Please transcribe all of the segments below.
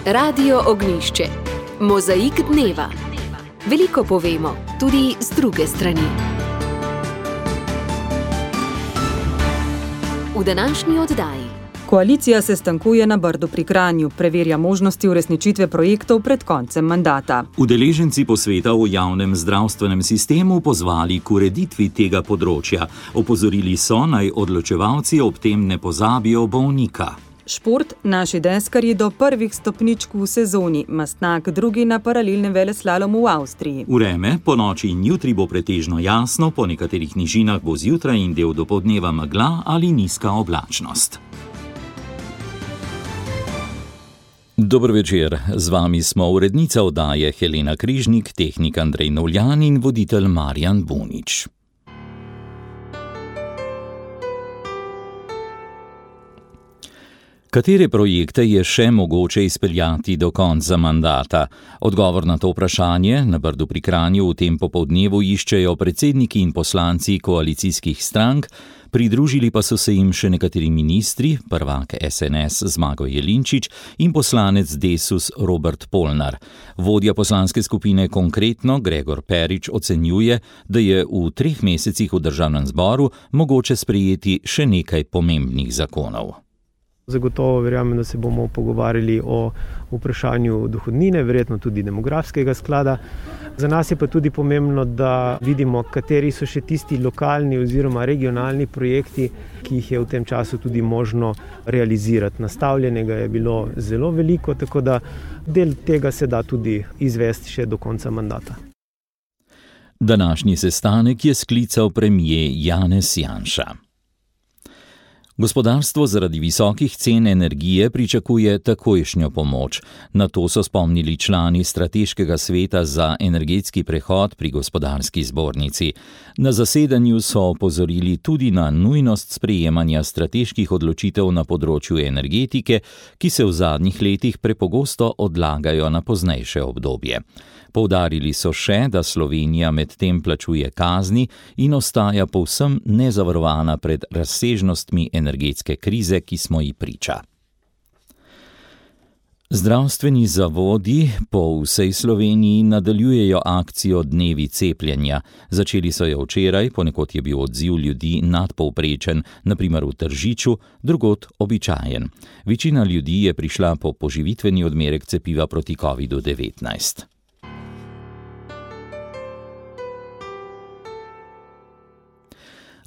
Radio Ognjišče. Mozaik dneva. Veliko povemo, tudi z druge strani. V današnji oddaji. Koalicija se sestankuje na Brdu pri Kranju, preverja možnosti uresničitve projektov pred koncem mandata. Udeleženci posveta o javnem zdravstvenem sistemu pozvali k ureditvi tega področja. Opozorili so, naj odločevalci ob tem ne pozabijo bolnika. Šport, naši deskarji do prvih stopničk v sezoni, Mastnak drugi na paralelnem veleslalomu v Avstriji. Vreme, ponoči in jutri bo pretežno jasno, po nekaterih nižinah bo zjutraj in del dopoldneva megla ali nizka oblačnost. Dober večer, z vami smo urednica oddaje Helena Križnik, tehnik Andrej Novljan in voditelj Marjan Bunič. Katere projekte je še mogoče izpeljati do konca mandata? Odgovor na to vprašanje na Brdu pri Kranju v tem popoldnevu iščejo predsedniki in poslanci koalicijskih strank, pridružili pa so se jim še nekateri ministri, prvak SNS Zmago Jelinčič in poslanec Desus Robert Polnar. Vodja poslanske skupine Konkretno Gregor Perič ocenjuje, da je v 3 mesecih v državnem zboru mogoče sprejeti še nekaj pomembnih zakonov. Zagotovo verjamem, da se bomo pogovarjali o vprašanju dohodnine, verjetno tudi demografskega sklada. Za nas je pa tudi pomembno, da vidimo, kateri so še tisti lokalni oziroma regionalni projekti, ki jih je v tem času tudi možno realizirati. Nastavljenega je bilo zelo veliko, tako da del tega se da tudi izvesti še do konca mandata. Današnji sestanek je sklical premier Janez Janša. Gospodarstvo zaradi visokih cen energije pričakuje takojšnjo pomoč. Na to so spomnili člani Strateškega sveta za energetski prehod pri Gospodarski zbornici. Na zasedanju so opozorili tudi na nujnost sprejemanja strateških odločitev na področju energetike, ki se v zadnjih letih prepogosto odlagajo na poznejše obdobje. Poudarili so še, da Slovenija med tem plačuje kazni in ostaja povsem nezavarovana pred razsežnostmi energetske krize, ki smo ji priča. Zdravstveni zavodi po vsej Sloveniji nadaljujejo akcijo Dnevi cepljenja. Začeli so jo včeraj, ponekod je bil odziv ljudi nadpovprečen, na primer v Tržiču, drugod običajen. Večina ljudi je prišla po poživitveni odmerek cepiva proti COVID-19.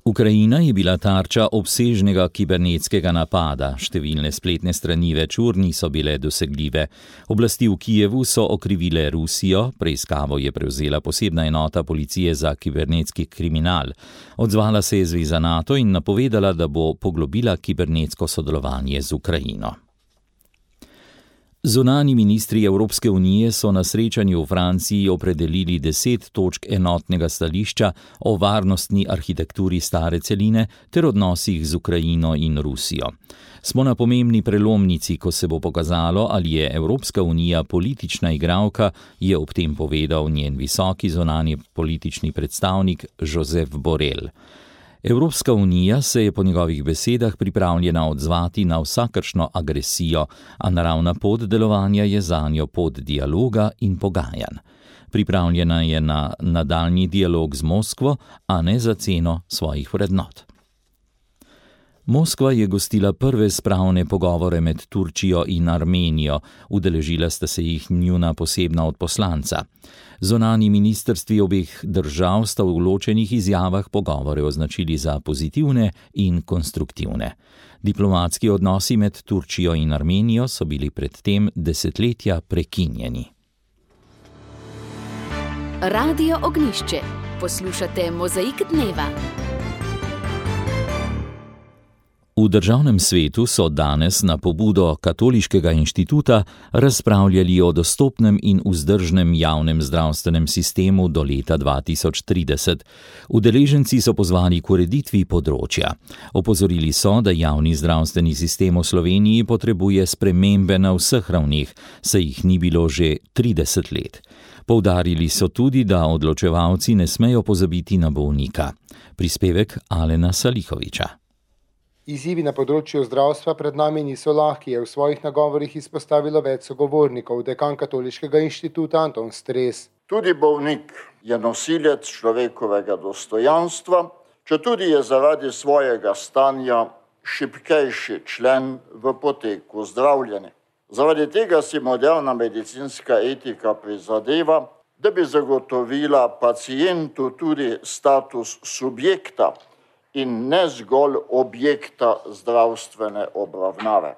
Ukrajina je bila tarča obsežnega kibernetskega napada, številne spletne strani več ur niso bile dosegljive. Oblasti v Kijevu so okrivile Rusijo, preiskavo je prevzela posebna enota policije za kibernetski kriminal. Odzvala se je zveza NATO in napovedala, da bo poglobila kibernetsko sodelovanje z Ukrajino. Zunanji ministri Evropske unije so na srečanju v Franciji opredelili 10 točk enotnega stališča o varnostni arhitekturi stare celine ter odnosih z Ukrajino in Rusijo. Smo na pomembni prelomnici, ko se bo pokazalo, ali je Evropska unija politična igralka, je ob tem povedal njen visoki zunanji politični predstavnik Josep Borrell. Evropska unija se je po njegovih besedah pripravljena odzvati na vsakršno agresijo, a naravna pot delovanja je zanjo pot dialoga in pogajanj. Pripravljena je na nadaljnji dialog z Moskvo, a ne za ceno svojih vrednot. Moskva je gostila prve spravne pogovore med Turčijo in Armenijo, udeležila sta se jih njuna posebna odposlanca. Zunanji ministrstvi obeh držav sta v ločenih izjavah pogovore označili za pozitivne in konstruktivne. Diplomatski odnosi med Turčijo in Armenijo so bili predtem desetletja prekinjeni. Radio Ognjišče. Poslušate Mozaik dneva. V državnem svetu so danes na pobudo Katoliškega inštituta razpravljali o dostopnem in vzdržnem javnem zdravstvenem sistemu do leta 2030. Udeleženci so pozvali k ureditvi področja. Opozorili so, da javni zdravstveni sistem v Sloveniji potrebuje spremembe na vseh ravneh, saj jih ni bilo že 30 let. Poudarili so tudi, da odločevalci ne smejo pozabiti na bolnika. Prispevek Alena Salihoviča. Izzivi na področju zdravstva pred nami niso lahki, je v svojih nagovorih izpostavilo več sogovornikov, dekan Katoliškega inštituta Anton Stres. Tudi bolnik je nosilec človekovega dostojanstva, četudi je zaradi svojega stanja šibkejši člen v poteku zdravljenja. Zaradi tega si moderna medicinska etika prizadeva, da bi zagotovila pacientu tudi status subjekta in ne zgolj objekta zdravstvene obravnave.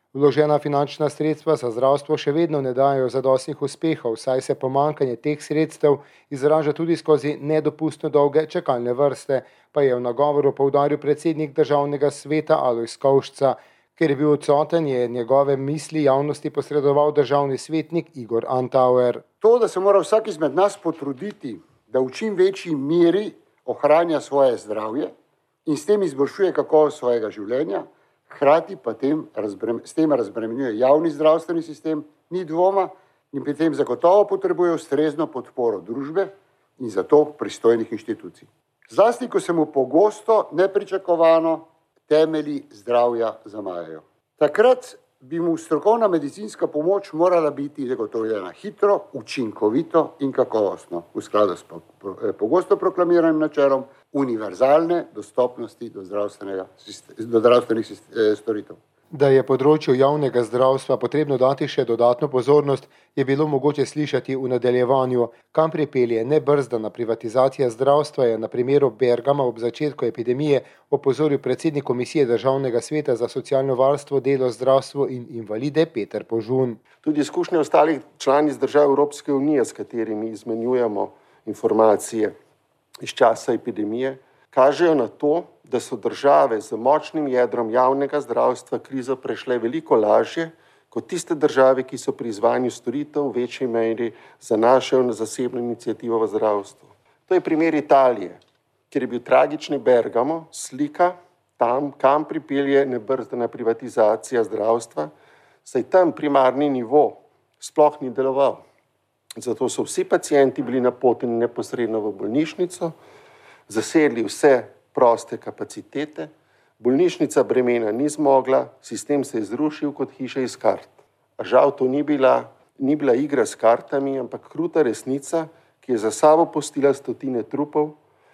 Vložena finančna sredstva za zdravstvo še vedno ne dajo zadostnih uspehov, saj se pomanjkanje teh sredstev izraža tudi skozi nedopustno dolge čakalne vrste, pa je v nagovoru poudaril predsednik Državnega sveta Alojz Kovšca. Ker je bil odsoten, je njegove misli javnosti posredoval državni svetnik Igor Antauer. To, da se mora vsak izmed nas potruditi, da v čim večji meri ohranja svoje zdravje in s tem izboljšuje kakovost svojega življenja, hkrati pa s tem razbremenjuje javni zdravstveni sistem, ni dvoma in pri tem zagotovo potrebuje ustrezno podporo družbe in zato pristojnih inštitucij. Zlasti, ko se mu pogosto nepričakovano temelji zdravja zamajajo. Takrat bi mu strokovna medicinska pomoč morala biti zagotovljena hitro, učinkovito in kakovostno, v skladu s pogosto proklamiranim načelom univerzalne dostopnosti do zdravstvenih storitev. Da je področju javnega zdravstva potrebno dati še dodatno pozornost, je bilo mogoče slišati v nadaljevanju. Kam pripelje nebrzdana privatizacija zdravstva, je na primeru Bergama ob začetku epidemije opozoril predsednik Komisije Državnega sveta za socialno varstvo, delo, zdravstvo in invalide Peter Požun. Tudi izkušnje ostalih članic držav Evropske unije, s katerimi izmenjujemo informacije iz časa epidemije, kažejo na to, da so države z močnim jedrom javnega zdravstva krizo prešle veliko lažje kot tiste države, ki so pri izvajanju storitev v večji meri zanašajo na zasebno iniciativo v zdravstvu. To je primer Italije, kjer je bil tragični Bergamo slika tam, kam pripelje nebrzdana privatizacija zdravstva, saj tam primarni nivo sploh ni deloval. Zato so vsi pacienti bili napoteni neposredno v bolnišnico, zasedli vse proste kapacitete, bolnišnica bremena ni zmogla, sistem se je zrušil kot hiša iz kart. A žal to ni bila igra s kartami, ampak kruta resnica, ki je za sabo pustila stotine trupov,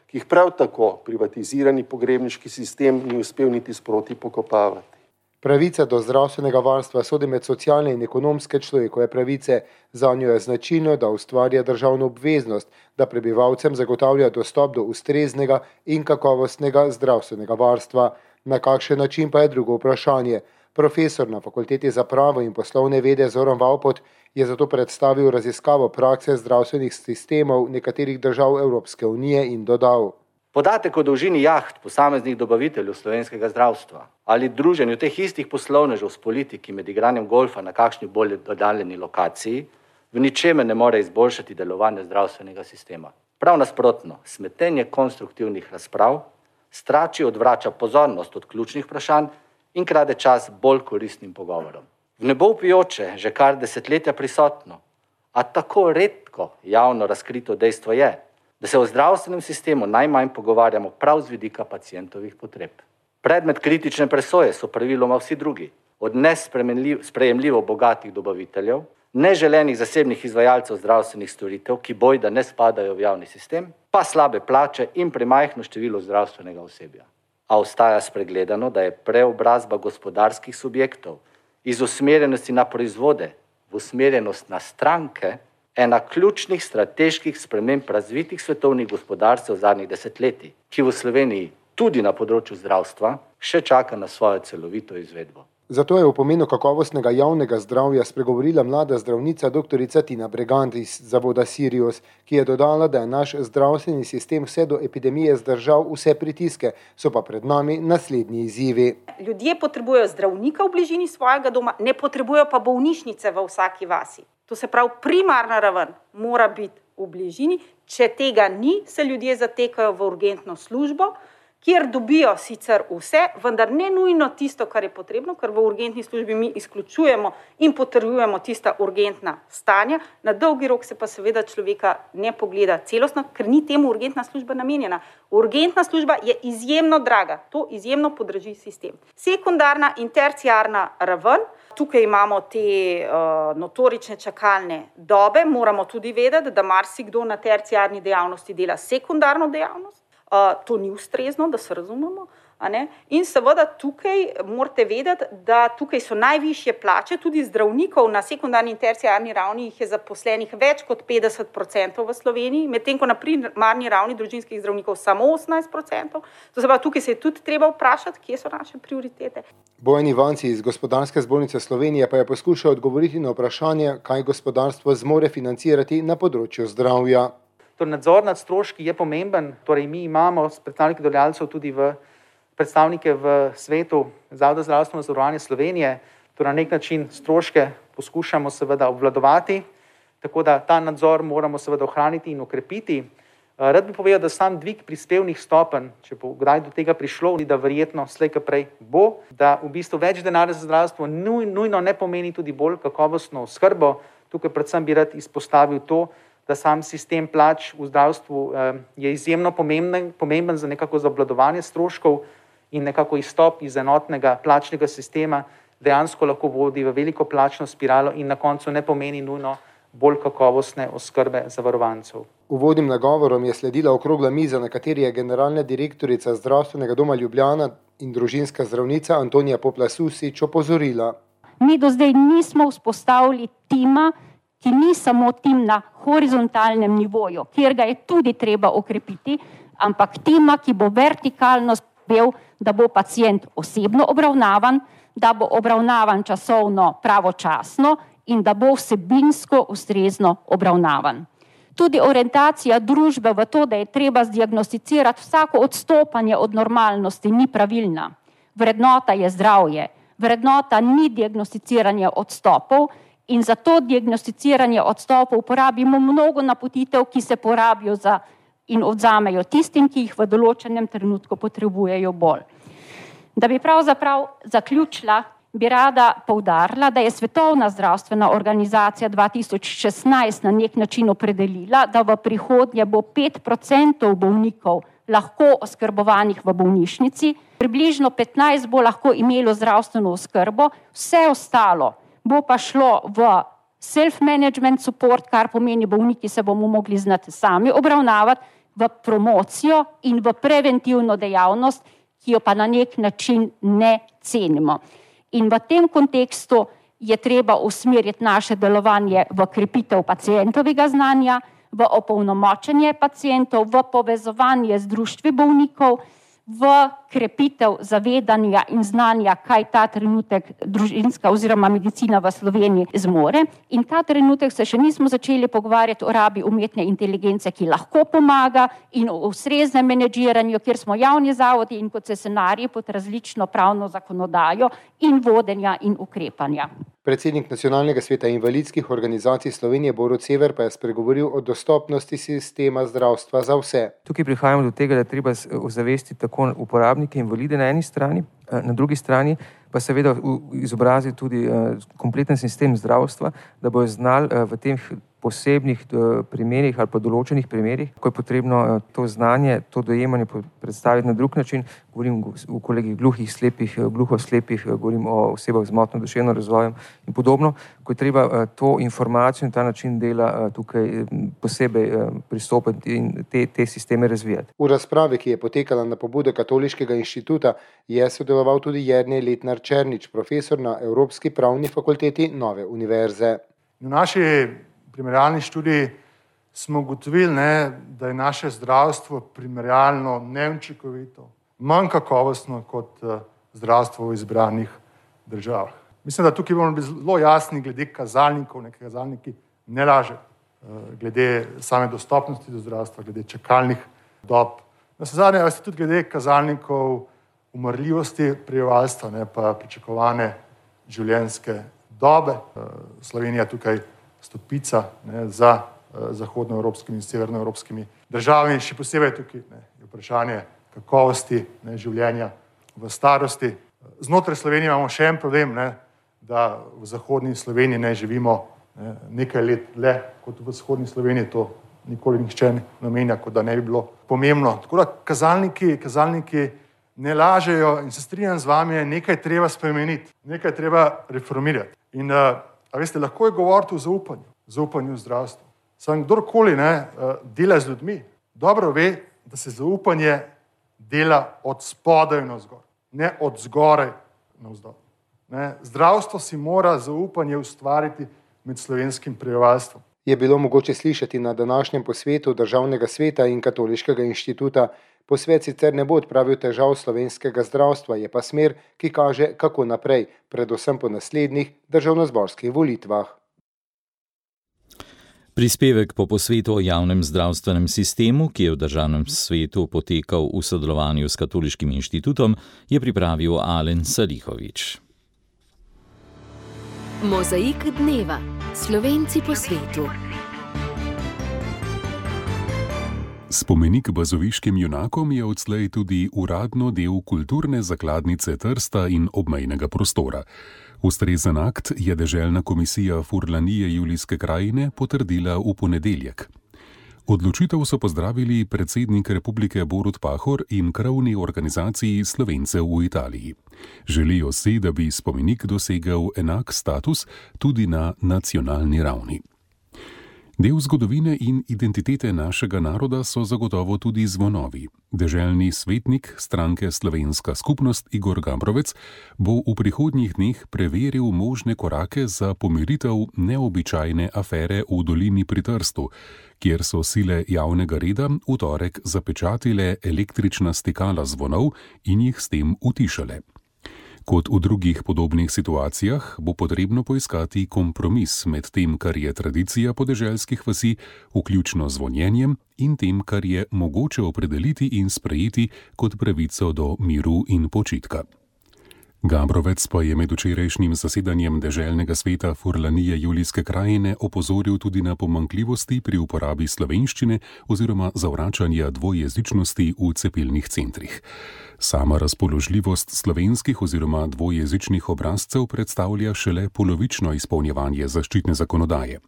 ki jih prav tako privatizirani pogrebniški sistem ni uspel niti sproti pokopavati. Pravica do zdravstvenega varstva sodi med socialne in ekonomske človekove pravice. Zanjo je značilno, da ustvarja državno obveznost, da prebivalcem zagotavlja dostop do ustreznega in kakovostnega zdravstvenega varstva. Na kakšen način pa je drugo vprašanje. Profesor na Fakulteti za pravo in poslovne vede Zoran Vavpot je zato predstavil raziskavo prakse zdravstvenih sistemov nekaterih držav Evropske unije in dodal. Podatek o dolžini jaht posameznih dobaviteljev slovenskega zdravstva ali druženju teh istih poslovnežev s politiki med igranjem golfa na kakšni bolj oddaljeni lokaciji v ničemer ne more izboljšati delovanja zdravstvenega sistema. Prav nasprotno, smetenje konstruktivnih razprav strači odvrača pozornost od ključnih vprašanj in krade čas bolj koristnim pogovorom. V nebo vpijoče, že kar desetletja prisotno, a tako redko javno razkrito dejstvo je, da se o zdravstvenem sistemu najmanj pogovarjamo prav z vidika pacientovih potreb. Predmet kritične presoje so praviloma vsi drugi, od nesprejemljivo bogatih dobaviteljev, neželenih zasebnih izvajalcev zdravstvenih storitev, ki bojda ne spadajo v javni sistem, pa slabe plače in premajhno število zdravstvenega osebja. A ostaja spregledano, da je preobrazba gospodarskih subjektov iz usmerjenosti na proizvode v usmerjenost na stranke ena ključnih strateških sprememb razvitih svetovnih gospodarstev zadnjih desetletij, ki v Sloveniji tudi na področju zdravstva še čaka na svojo celovito izvedbo. Zato je o pomenu kakovostnega javnega zdravja spregovorila mlada zdravnica dr. Tina Bregant iz zavoda Sirius, ki je dodala, da je naš zdravstveni sistem vse do epidemije zdržal vse pritiske, so pa pred nami naslednji izzivi. Ljudje potrebujejo zdravnika v bližini svojega doma, ne potrebujejo pa bolnišnice v vsaki vasi. To se pravi, primarna raven mora biti v bližini. Če tega ni, se ljudje zatekajo v urgentno službo, kjer dobijo sicer vse, vendar ne nujno tisto, kar je potrebno, ker v urgentni službi mi izključujemo in potrjujemo tista urgentna stanja. Na dolgi rok se pa seveda človeka ne pogleda celostno, ker ni temu urgentna služba namenjena. Urgentna služba je izjemno draga, to izjemno podraži sistem. Sekundarna in terciarna raven, tukaj imamo te notorične čakalne dobe, moramo tudi vedeti, da marsikdo na terciarni dejavnosti dela sekundarno dejavnost. To ni ustrezno, da se razumemo. In seveda tukaj morate vedeti, da tukaj so najvišje plače, tudi zdravnikov na sekundarni in terciarni ravni jih je zaposlenih več kot 50% v Sloveniji, medtem ko na primarni ravni družinskih zdravnikov samo 18%. To se pa tukaj se je tudi treba vprašati, kje so naše prioritete. Bojan Ivanci iz Gospodarske zbornice Slovenije pa je poskušal odgovoriti na vprašanje, kaj gospodarstvo zmore financirati na področju zdravja. Nadzor nad stroški je pomemben, torej mi imamo predstavnike delodajalcev tudi predstavnike v svetu Zavoda za zdravstveno zavarovanje Slovenije, torej na nek način stroške poskušamo seveda obvladovati, tako da ta nadzor moramo seveda ohraniti in okrepiti. Rad bi povedal, da sam dvig prispevnih stopenj, če bo kdaj do tega prišlo, da verjetno slej ko prej bo, da v bistvu več denarja za zdravstvo nujno ne pomeni tudi bolj kakovostno oskrbo. Tukaj predvsem bi rad izpostavil to, da sam sistem plač v zdravstvu je izjemno pomemben za nekako za obvladovanje stroškov in nekako izstop iz enotnega plačnega sistema dejansko lahko vodi v veliko plačno spiralo in na koncu ne pomeni nujno bolj kakovostne oskrbe zavarovancev. Uvodnim nagovorom je sledila okrogla miza, na kateri je generalna direktorica Zdravstvenega doma Ljubljana in družinska zdravnica Antonija Poplas-Susič opozorila. Mi do zdaj nismo vzpostavili tima, ki ni samo tim na horizontalnem nivoju, kjer ga je tudi treba okrepiti, ampak tima, ki bo vertikalno spel, da bo pacient osebno obravnavan, da bo obravnavan časovno pravočasno in da bo vsebinsko ustrezno obravnavan. Tudi orientacija družbe v to, da je treba zdiagnosticirati vsako odstopanje od normalnosti, ni pravilna. Vrednota je zdravje, vrednota ni diagnosticiranje odstopov, in za to diagnosticiranje odstopov uporabimo mnogo napotitev, ki se porabijo in odzamejo tistim, ki jih v določenem trenutku potrebujejo bolj. Da bi pravzaprav zaključila, bi rada poudarila, da je Svetovna zdravstvena organizacija 2016 na nek način opredelila, da v prihodnje bo 5% bolnikov lahko oskrbovanih v bolnišnici, približno 15 bo lahko imelo zdravstveno oskrbo, vse ostalo bo pa šlo v self-management support, kar pomeni bolniki se bomo mogli znati sami obravnavati, v promocijo in v preventivno dejavnost, ki jo pa na nek način ne cenimo. In v tem kontekstu je treba usmeriti naše delovanje v krepitev pacientovega znanja, v opolnomočenje pacientov, v povezovanje z društvi bolnikov, v krepitev zavedanja in znanja, kaj ta trenutek družinska oziroma medicina v Sloveniji zmore. In ta trenutek se še nismo začeli pogovarjati o rabi umetne inteligence, ki lahko pomaga, in o ustreznem menedžiranju, kjer smo javni zavodi in koncesionarji pod različno pravno zakonodajo in vodenja in ukrepanja. Predsednik Nacionalnega sveta invalidskih organizacij Slovenije Borut Sever pa je spregovoril o dostopnosti sistema zdravstva za vse. Tukaj prihajamo do tega, da je treba ozavestiti tako uporabnike invalide na eni strani, na drugi strani pa seveda izobraziti tudi kompleten sistem zdravstva, da bojo znali v teh posebnih primerih ali pa določenih primerih, ko je potrebno to znanje, to dojemanje predstaviti na drug način. Govorim o kolegih gluhih, slepih, gluhoslepih, govorim o osebah z motnjo duševnim razvojem in podobno, ko je treba to informacijo in ta način dela tukaj posebej pristopiti in te sisteme razvijati. V razpravi, ki je potekala na pobudo Katoliškega inštituta, je sodeloval tudi Jernej Letnar-Černič, profesor na Evropski pravni fakulteti Nove univerze. V naši primerjalni študiji smo ugotovili, da je naše zdravstvo primerjalno neučinkovito, manj kakovostno kot zdravstvo v izbranih državah. Mislim, da tukaj moramo biti zelo jasni glede kazalnikov, neki kazalniki ne lažejo, glede same dostopnosti do zdravstva, glede čakalnih dob. Navsezadnje tudi glede kazalnikov umrljivosti prebivalstva, pa pričakovane življenjske dobe. Slovenija tukaj stopica za zahodnoevropskimi in severnoevropskimi državami. Še posebej tukaj je vprašanje kakovosti življenja v starosti. Znotraj Slovenije imamo še en problem, da v zahodni Sloveniji ne živimo nekaj let le kot v vzhodni Sloveniji, to nikoli nihče ne namenja, kot da ne bi bilo pomembno. Tako da kazalniki ne lažejo in se strinjam z vami, nekaj treba spremeniti, nekaj treba reformirati. In veste, lahko je govoriti o zaupanju v zdravstvu. Samo kdorkoli dela z ljudmi, dobro ve, da se zaupanje dela od spodaj navzgor, ne od zgoraj navzdol. Zdravstvo si mora zaupanje ustvariti med slovenskim prebivalstvom. Je bilo mogoče slišati na današnjem posvetu Državnega sveta in Katoliškega inštituta. Posvet sicer ne bo odpravil težav slovenskega zdravstva, je pa smer, ki kaže, kako naprej, predvsem po naslednjih državnozborskih volitvah. Prispevek po posvetu o javnem zdravstvenem sistemu, ki je v Državnem svetu potekal v sodelovanju s Katoliškim inštitutom, je pripravil Alen Salihovič. Mozaik dneva. Slovenci po svetu. Spomenik bazoviškim junakom je odslej tudi uradno del kulturne zakladnice Trsta in obmejnega prostora. Ustrezen akt je deželna komisija Furlanije Julijske krajine potrdila v ponedeljek. Odločitev so pozdravili predsednik republike Borut Pahor in krovni organizaciji Slovencev v Italiji. Želijo si, da bi spomenik dosegel enak status tudi na nacionalni ravni. Del zgodovine in identitete našega naroda so zagotovo tudi zvonovi. Deželni svetnik stranke Slovenska skupnost Igor Gambrovec bo v prihodnjih dneh preveril možne korake za pomiritev neobičajne afere v dolini pri Trstu, kjer so sile javnega reda v torek zapečatile električna stikala zvonov in jih s tem utišale. Kot v drugih podobnih situacijah bo potrebno poiskati kompromis med tem, kar je tradicija podeželskih vasi, vključno zvonjenjem, in tem, kar je mogoče opredeliti in sprejeti kot pravico do miru in počitka. Gambrovec pa je med včerajšnjim zasedanjem deželnega sveta Furlanije Julijske krajine opozoril tudi na pomanjkljivosti pri uporabi slovenščine oziroma zavračanja dvojezičnosti v cepilnih centrih. Sama razpoložljivost slovenskih oziroma dvojezičnih obrazcev predstavlja šele polovično izpolnjevanje zaščitne zakonodaje.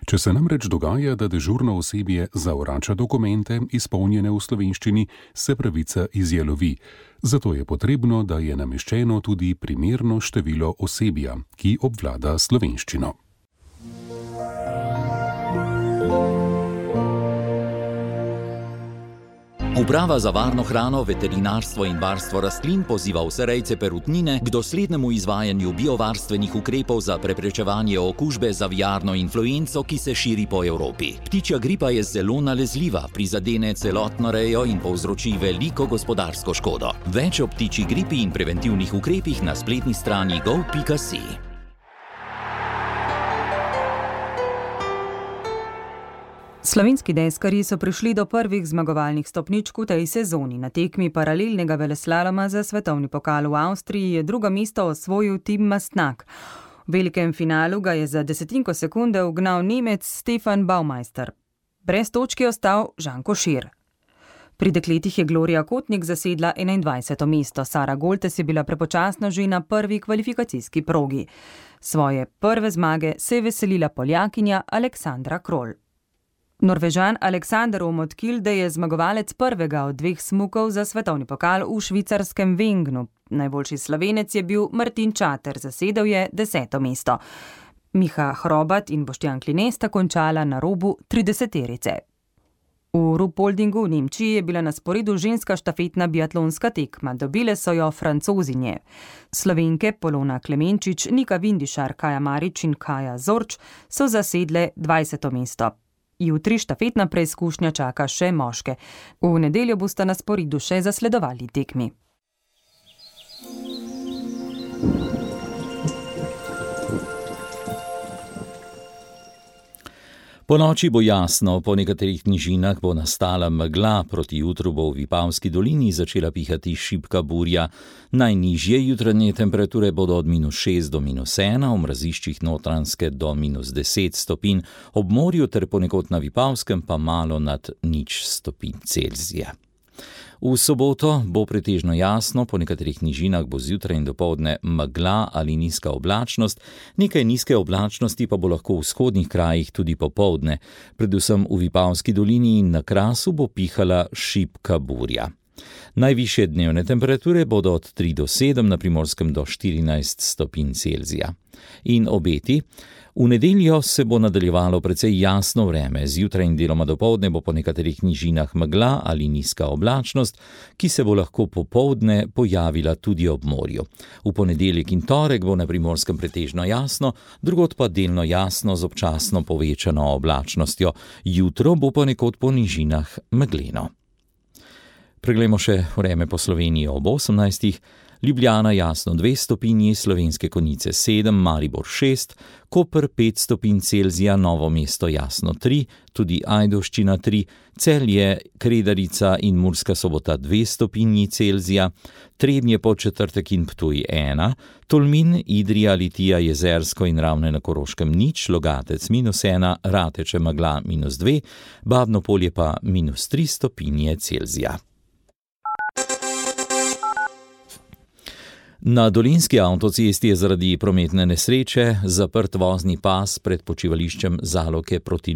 Če se namreč dogaja, da dežurno osebje zavrača dokumente, izpolnjene v slovenščini, se pravica izjalovi. Zato je potrebno, da je nameščeno tudi primerno število osebja, ki obvlada slovenščino. Uprava za varno hrano, veterinarstvo in varstvo rastlin poziva vse rejce perutnine k doslednemu izvajanju biovarstvenih ukrepov za preprečevanje okužbe z aviarno influenco, ki se širi po Evropi. Ptičja gripa je zelo nalezljiva, prizadene celotno rejo in povzroči veliko gospodarsko škodo. Več o ptičji gripi in preventivnih ukrepih na spletni strani gov.si. Slovenski deskarji so prišli do prvih zmagovalnih stopničk v tej sezoni. Na tekmi paralelnega veleslaloma za svetovni pokal v Avstriji je drugo mesto osvojil Tim Mastnak. V velikem finalu ga je za desetinko sekunde ugnal Nemec Stefan Baumeister. Brez točke je ostal Žan Košir. Pri dekletih je Gloria Kotnik zasedla 21. mesto. Sara Goltes je bila prepočasno že na prvi kvalifikacijski progi. Svoje prve zmage se je veselila Poljakinja Aleksandra Krol. Norvežan Aleksander Omotkilde je zmagovalec prvega od dveh smukov za svetovni pokal v švicarskem Wengnu. Najboljši Slovenec je bil Martin Čater, zasedel je 10. mesto. Miha Hrobat in Boštjan Kline sta končala na robu 30-terice. V Ruhpoldingu v Nemčiji je bila na sporedu ženska štafetna biatlonska tekma. Dobile so jo Francozinje. Slovenke Polona Klemenčič, Nika Vindišar, Kaja Marič in Kaja Zorč so zasedle 20. mesto. Jutri štafetna preizkušnja čaka še moške. V nedeljo bosta na sporedu še zasledovali tekmi. Po noči bo jasno, po nekaterih nižinah bo nastala megla, proti jutru bo v Vipavski dolini začela pihati šibka burja. Najnižje jutranje temperature bodo od -6 do -1, v mraziščih Notranjske do -10 stopinj, ob morju ter ponekod na Vipavskem pa malo nad 0 stopinj Celzija. V soboto bo pretežno jasno, po nekaterih nižinah bo zjutraj in dopoldne megla ali nizka oblačnost, nekaj nizke oblačnosti pa bo lahko v vzhodnih krajih tudi popoldne, predvsem v Vipavski dolini in na Krasu bo pihala šibka burja. Najvišje dnevne temperature bodo od 3 do 7, na Primorskem do 14 stopinj Celzija. In obeti. V nedeljo se bo nadaljevalo precej jasno vreme, zjutraj in deloma dopoldne bo po nekaterih nižinah megla ali nizka oblačnost, ki se bo lahko popoldne pojavila tudi ob morju. V ponedeljek in torek bo na Primorskem pretežno jasno, drugod pa delno jasno z občasno povečano oblačnostjo. Jutro bo ponekod po nižinah megleno. Preglejmo še vreme po Sloveniji ob 18. Ljubljana jasno 2 stopinji, Slovenske Konjice 7, Maribor 6, Koper 5 stopinj Celzija, Novo mesto jasno 3, tudi Ajdovščina 3, Celje, Kredarica in Murska Sobota 2 stopinji Celzija, Trebnje, Podčetrtek in Ptuj 1, Tolmin, Idrija, Litija, Jezersko in Ravne na Koroškem 0, Logatec -1, Rateče megla -2, Babno Polje pa -3 stopinje Celzija. Na Dolenjski avtocesti je zaradi prometne nesreče zaprt vozni pas pred počivališčem Zaloke proti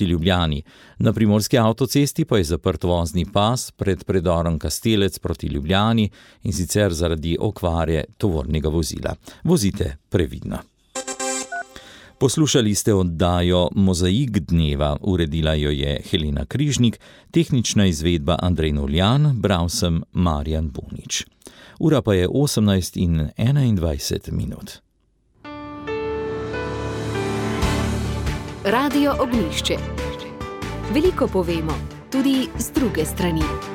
Ljubljani. Na Primorski avtocesti pa je zaprt vozni pas pred predorom Kastelec proti Ljubljani, in sicer zaradi okvare tovornega vozila. Vozite previdno. Poslušali ste oddajo Mozaik dneva, uredila jo je Helena Križnik, tehnična izvedba Andrej Noljan, bral sem Marjan Bunič. Ura pa je 18:21. Radio Ognjišče. Veliko povemo, tudi z druge strani.